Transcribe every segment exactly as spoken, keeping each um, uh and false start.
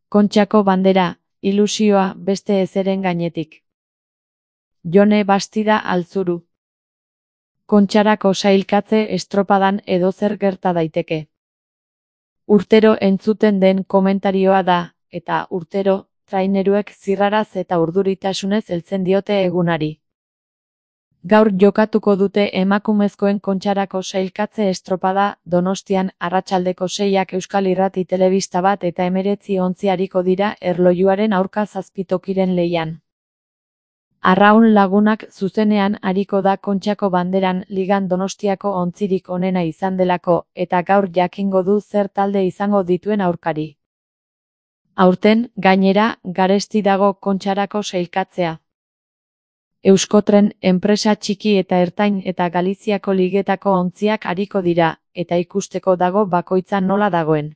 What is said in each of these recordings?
Kontxako bandera, ilusioa beste ezeren gainetik. Jone Bastida Altzuru. Kontxarako sailkatze estropadan edozer gerta daiteke. Urtero entzuten den komentarioa da, eta urtero, traineruek zirraraz eta urduritasunez heltzen diote egunari. Gaur jokatuko dute emakumezkoen kontxarako sailkatze estropada Donostian arratsaldeko seiak Euskal Irrati Telebista bat eta hemeretzi ontzi ariko dira erlojuaren aurka zazpitokiren lehian. Arraun Lagunak zuzenean ariko da Kontxako banderan ligan Donostiako ontzirik onena izan delako eta gaur jakingo du zer talde izango dituen aurkari. Aurten, gainera, garesti dago Kontxarako sailkatzea. Euskotren enpresa txiki eta ertain eta Galiziako ligetako ontziak ariko dira, eta ikusteko dago bakoitza nola dagoen.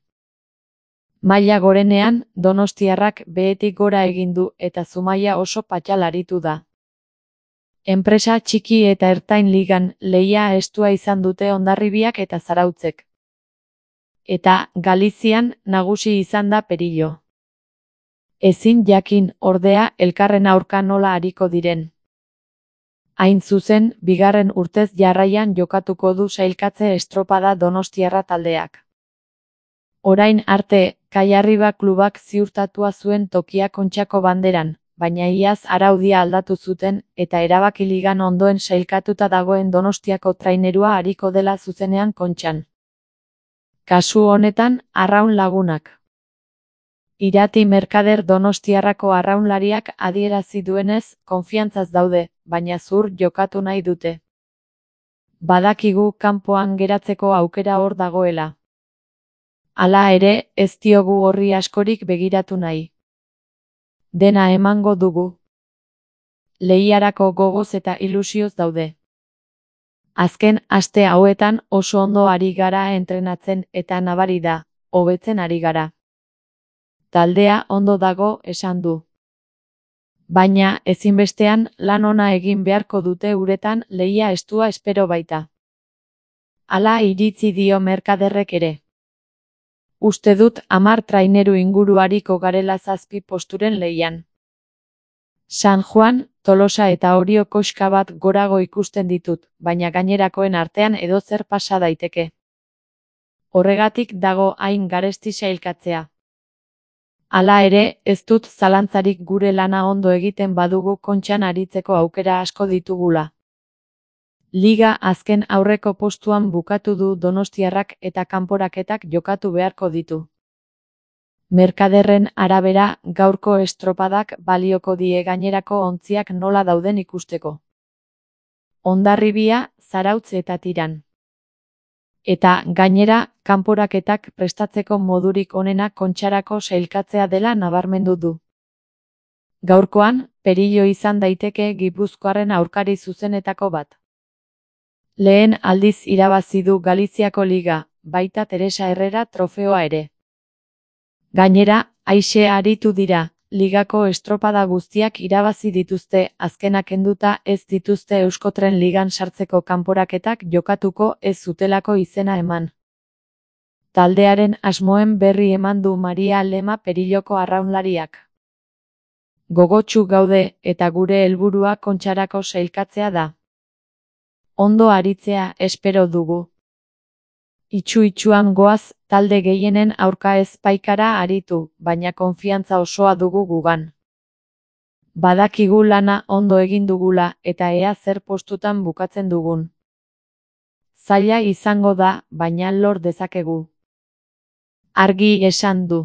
Maila gorenean, donostiarrak behetik gora egin du eta Zumaia oso patxal aritu da. Enpresa txiki eta ertain ligan lehia estua izan dute Hondarribiak eta Zarautzek. Eta Galizian nagusi izan da Perillo. Ezin jakin, ordea, elkarren aurka nola ariko diren. Hain zuzen, bigarren urtez jarraian jokatuko du sailkatze estropada donostiarra taldeak. Orain arte, Kaiarriba klubak ziurtatua zuen tokia Kontxako banderan, baina iaz araudia aldatu zuten eta erabaki ligan ondoen sailkatuta dagoen Donostiako trainerua ariko dela zuzenean Kontxan. Kasu honetan, Arraun Lagunak. Irati Merkader Donostiarrako arraunlariak adierazi duenez, konfiantzaz daude, baina zur jokatu nahi dute. Badakigu kanpoan geratzeko aukera hor dagoela. Hala ere, ez diogu horri askorik begiratu nahi. Dena emango dugu. Lehiarako gogoz eta ilusioz daude. Azken aste hauetan oso ondo ari gara entrenatzen eta nabari da, hobetzen ari gara. Taldea ondo dago esan du. Baina, ezinbestean, lan ona egin beharko dute uretan lehia estua espero baita. Hala iritzi dio Merkaderrek ere. Uste dut hamar traineru inguru ariko garela zazpi posturen lehian. San Juan, Tolosa eta Orio koxka bat gorago ikusten ditut, baina gainerakoen artean edozer pasa daiteke. Horregatik dago hain garesti sailkatzea. Hala ere, ez dut zalantzarik gure lana ondo egiten badugu Kontxan aritzeko aukera asko ditugula. Liga azken aurreko postuan bukatu du Donostiarrak eta kanporaketak jokatu beharko ditu. Merkaderren arabera, gaurko estropadak balioko die gainerako ontziak nola dauden ikusteko. Hondarribia, Zarautz eta Tiran. Eta, gainera, kanporaketak prestatzeko modurik onena Kontxarako sailkatzea dela nabarmendu du. Gaurkoan, Perillo izan daiteke Gipuzkoarren aurkari zuzenetako bat. Lehen aldiz irabazi du Galiziako liga, baita Teresa Herrera trofeoa ere. Gainera, aise aritu dira, ligako estropada guztiak irabazi dituzte, azkenak kenduta ez dituzte Euskotren ligan sartzeko kanporaketak jokatuko ez zutelako izena eman. Taldearen asmoen berri eman du Maria Lema Perilloko arraunlariak. Gogotsu gaude eta gure helburua Kontxarako sailkatzea da. Ondo aritzea espero dugu. Itxu-itxuan goaz, talde gehienen aurka ez paikara aritu, baina konfiantza osoa dugu gugan. Badakigu lana ondo egin dugula eta ea zer postutan bukatzen dugun. Zaila izango da, baina lor dezakegu. Argi esan du.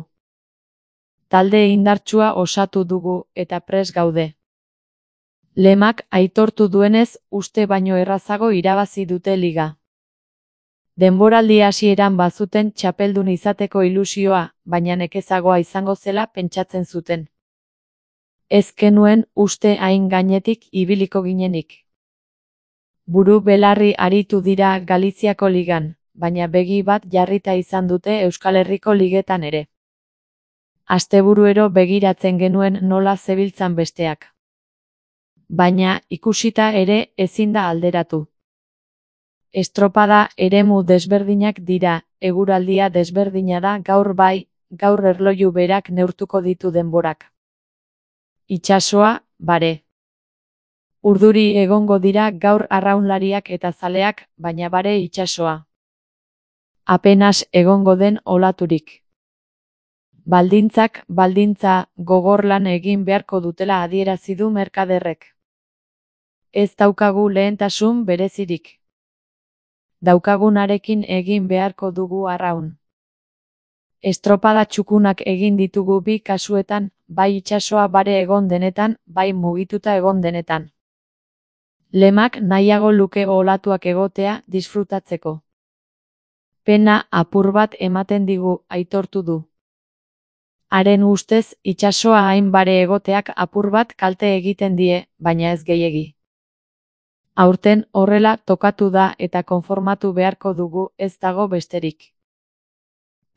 Talde indartsua osatu dugu eta prest gaude. Lemak aitortu duenez, uste baino errazago irabazi dute liga. Denboraldi hasieran bazuten txapeldun izateko ilusioa, baina nekezagoa izango zela pentsatzen zuten. Ez genuen uste hain gainetik ibiliko ginenik. Buru belarri aritu dira Galiziako ligan, baina begi bat jarrita izan dute Euskal Herriko ligetan ere. Asteburuero begiratzen genuen nola zebiltzan besteak. Baina ikusita ere ezin da alderatu. Estropada eremu desberdinak dira, eguraldia desberdina da gaur bai, gaur erloju berak neurtuko ditu denborak. Itsasoa, bare. Urduri egongo dira gaur arraunlariak eta zaleak, baina bare itsasoa. Apenas egongo den olaturik. Baldintzak, baldintza, gogor lan egin beharko dutela adierazi du merkaderrek. Ez daukagu lehentasun berezirik. Daukagunarekin egin beharko dugu arraun. Estropada txukunak egin ditugu bi kasuetan, bai itsasoa bare egon denetan, bai mugituta egon denetan. Lemak nahiago luke olatuak egotea disfrutatzeko. Pena apur bat ematen digu, aitortu du. Haren ustez, itsasoa hain bare egoteak apur bat kalte egiten die, baina ez gehiegi. Aurten horrela tokatu da eta konformatu beharko dugu, ez dago besterik.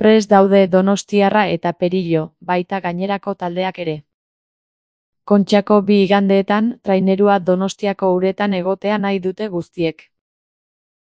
Prest daude Donostiarra eta Perillo, baita gainerako taldeak ere. Kontxako bi igandeetan, trainerua Donostiako uretan egotea nahi dute guztiek.